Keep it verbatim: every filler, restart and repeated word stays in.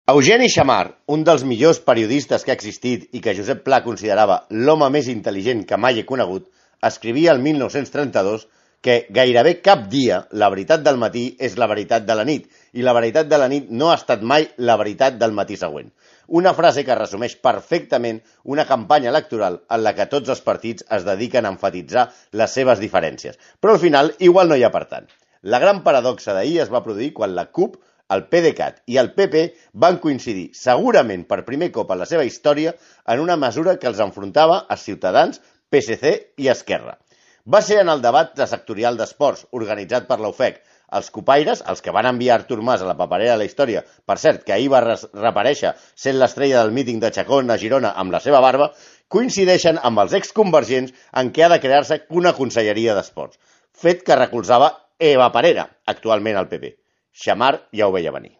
Eugeni Xammar, un dels millors periodistes que ha existit i que Josep Pla considerava l'home més intel·ligent que mai he conegut, escrivia el mil nou-cents trenta-dos que gairebé cap dia la veritat del matí és la veritat de la nit i la veritat de la nit no ha estat mai la veritat del matí següent. Una frase que resumeix perfectament una campanya electoral en la que tots els partits es dediquen a enfatitzar les seves diferències. Però al final igual no hi ha per tant. La gran paradoxa d'ahir es va produir quan la CUP, el PDeCAT i el P P van coincidir, segurament per primer cop en la seva història, en una mesura que els enfrontava a Ciutadans, P S C i Esquerra. Va ser en el debat sectorial d'esports, organitzat per l'U F E C. Els copaires, els que van enviar Artur Mas a la paperera de la història, per cert, que ahir va reaparèixer sent l'estrella del míting de Chacón a Girona amb la seva barba, coincideixen amb els exconvergents en què ha de crear-se una conselleria d'esports, fet que recolzava Eva Parera, actualment al P P. Xammar ja ho veia venir.